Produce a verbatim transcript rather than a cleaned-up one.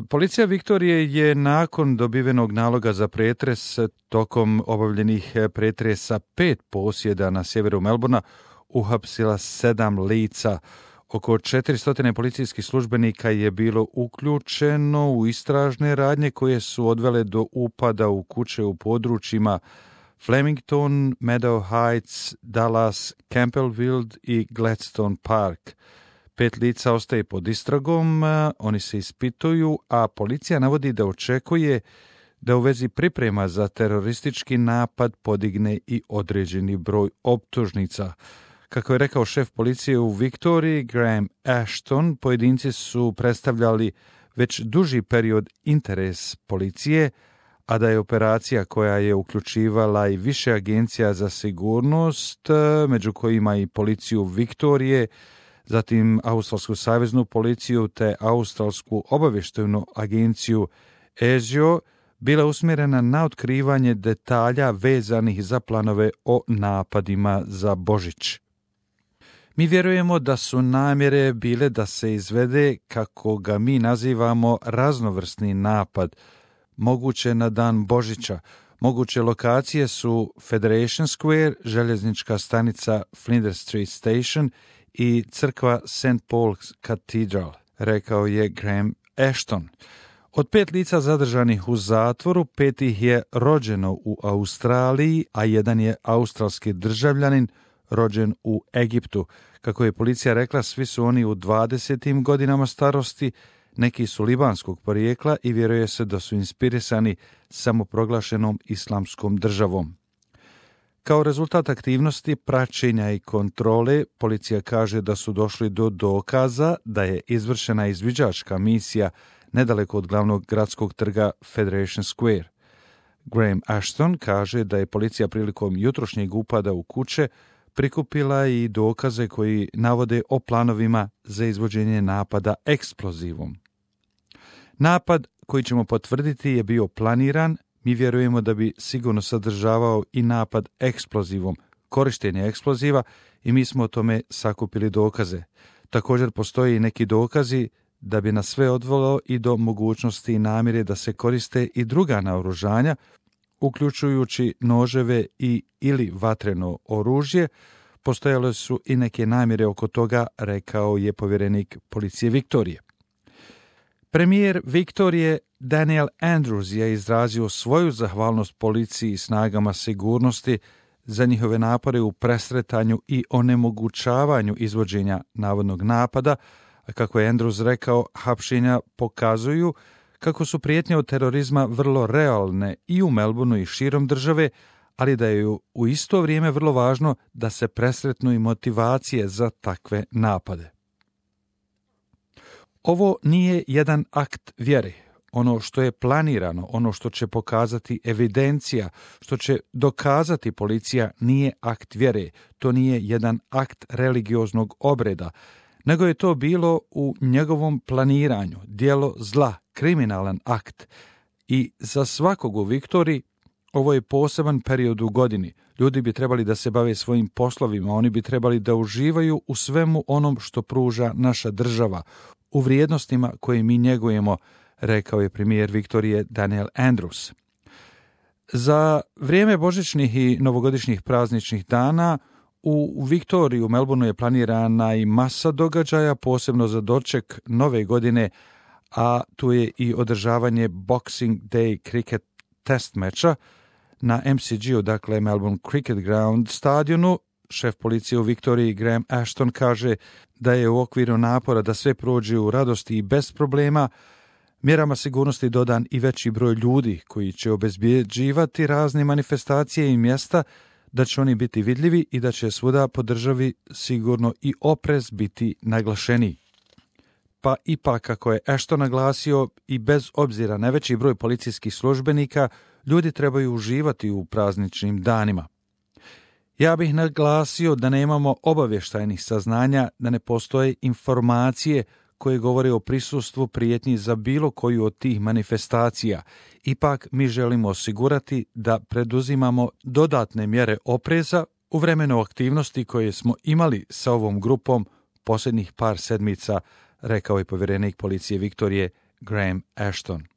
Policija Viktorije je nakon dobivenog naloga za pretres tokom obavljenih pretresa pet posjeda na sjeveru Melbourna uhapsila sedam lica. Oko četiristo policijskih službenika je bilo uključeno u istražne radnje koje su odvele do upada u kuće u područjima Flemington, Meadow Heights, Dallas, Campbellville i Gladstone Park. Pet lica ostaje pod istragom, oni se ispituju, a policija navodi da očekuje da u vezi priprema za teroristički napad podigne i određeni broj optužnica. Kako je rekao šef policije u Viktoriji, Graham Ashton, pojedinci su predstavljali već duži period interes policije, a da je operacija koja je uključivala i više agencija za sigurnost, među kojima i policiju Viktorije, zatim Australsku saveznu policiju te Australsku obavještajnu agenciju A S I O, bila usmjerena na otkrivanje detalja vezanih za planove o napadima za Božić. Mi vjerujemo da su namjere bile da se izvede, kako ga mi nazivamo, raznovrsni napad, moguće na dan Božića. Moguće lokacije su Federation Square, željeznička stanica Flinders Street Station i crkva Saint Paul's Cathedral, rekao je Graham Ashton. Od pet lica zadržanih u zatvoru, pet ih je rođeno u Australiji, a jedan je australski državljanin rođen u Egiptu. Kako je policija rekla, svi su oni u dvadesetim godinama starosti, neki su libanskog porijekla i vjeruje se da su inspirisani samoproglašenom islamskom državom. Kao rezultat aktivnosti, praćenja i kontrole, policija kaže da su došli do dokaza da je izvršena izviđačka misija nedaleko od glavnog gradskog trga Federation Square. Graham Ashton kaže da je policija prilikom jutrošnjeg upada u kuće prikupila i dokaze koji navode o planovima za izvođenje napada eksplozivom. Napad koji ćemo potvrditi je bio planiran. Mi vjerujemo da bi sigurno sadržavao i napad eksplozivom, korištenje eksploziva, i mi smo o tome sakupili dokaze. Također postoje i neki dokazi da bi nas sve odvelo i do mogućnosti i namjere da se koriste i druga naoružanja, uključujući noževe i ili vatreno oružje. Postojale su i neke namjere oko toga, rekao je povjerenik policije Viktorije. Premijer Viktorije Daniel Andrews je izrazio svoju zahvalnost policiji i snagama sigurnosti za njihove napore u presretanju i onemogućavanju izvođenja navodnog napada, a kako je Andrews rekao, hapšenja pokazuju kako su prijetnje od terorizma vrlo realne i u Melbourneu i širom države, ali da je u isto vrijeme vrlo važno da se presretnu i motivacije za takve napade. Ovo nije jedan akt vjere. Ono što je planirano, ono što će pokazati evidencija, što će dokazati policija, nije akt vjere. To nije jedan akt religioznog obreda, nego je to bilo u njegovom planiranju, djelo zla, kriminalan akt. I za svakog u Viktoriji ovo je poseban period u godini. Ljudi bi trebali da se bave svojim poslovima, oni bi trebali da uživaju u svemu onom što pruža naša država, u vrijednostima koje mi njegujemo, rekao je premijer Viktorije Daniel Andrews. Za vrijeme božićnih i novogodišnjih prazničnih dana u Viktoriji u Melbourneu je planirana i masa događaja, posebno za doček nove godine, a tu je i održavanje Boxing Day cricket test meča na M C G-u, dakle Melbourne Cricket Ground stadionu. Šef policije u Viktoriji Graham Ashton kaže da je u okviru napora da sve prođe u radosti i bez problema, mjerama sigurnosti dodan i veći broj ljudi koji će obezbjeđivati razne manifestacije i mjesta, da će oni biti vidljivi i da će svuda po državi sigurno i oprez biti naglašeniji. Pa ipak, kako je Ashton naglasio, i bez obzira na veći broj policijskih službenika, ljudi trebaju uživati u prazničnim danima. Ja bih naglasio da nemamo obavještajnih saznanja, da ne postoje informacije koje govore o prisustvu prijetnji za bilo koju od tih manifestacija. Ipak mi želimo osigurati da preduzimamo dodatne mjere opreza u vremenu aktivnosti koje smo imali sa ovom grupom posljednjih par sedmica, rekao je povjerenik policije Viktorije Graham Ashton.